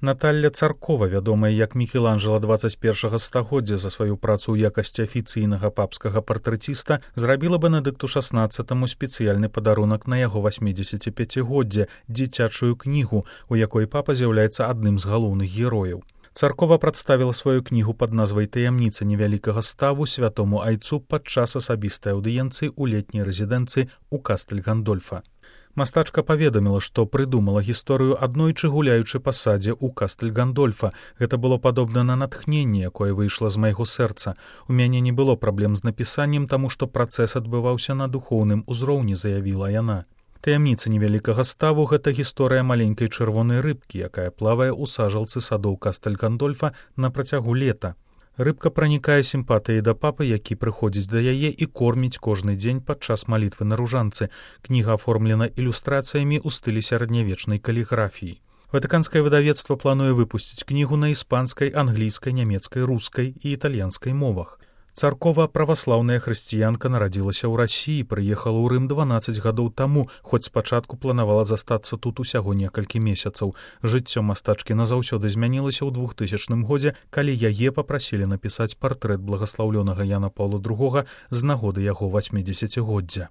Наталля Царкова, вядомая як Мікеланджела 21 стагоддзя за сваю працу ў якасці афіцыйнага папскага партрэціста, зрабіла Бенедыкту XVI спецыяльны падарунак на яго 85-годдзе, дзіцячую кнігу, у якой папа з'яўляецца адным з галоўных герояў. Царкова прадставіла сваю кнігу пад назвай «Таямніца невялікага ставу» святому айцу падчас асабістай аўдыенцыі ў летняй рэзідэнцыі ў Кастэль-Гандольфа. Мастачка паведаміла, што прыдумала гісторыю аднойчы гуляючы па садзе ў Кастэль-Гандольфа. Гэта было падобна на натхненне, якое выйшла з майго сэрца. У мяне не было праблем з напісаннем, таму што працэс адбываўся на духоўным узроўні, заявіла яна. «Таямніца невялікага ставу» — гэта гісторыя маленькай чырвонай рыбкі, якая плавае ў сажалцы садоў Кастэль-Гандольфа на працягу лета. Рыбка пранікае сімпатыяй да папы, які прыходзіць да яе і корміць кожны дзень падчас малітвы на ружанцы. Кніга аформлена ілюстрацыямі ў стылі сярэднявечнай каліграфіі. Ватыканскае выдавецтва плануе выпусціць кнігу на іспанскай, англійскай, нямецкай, рускай і італьянскай мовах. Царкова, праваслаўная хрысціянка, нарадзілася ў Расіі, прыехала ў Рым 12 гадоў таму, хоць спачатку планавала застацца тут усяго некалькі месяцаў. Жыццё мастачкі назаўсёды змянілася ў 2000 годзе, калі яе папрасілі напісаць партрэт благаслаўлёнага Яна Паўла II з нагоды яго 80-годдзя.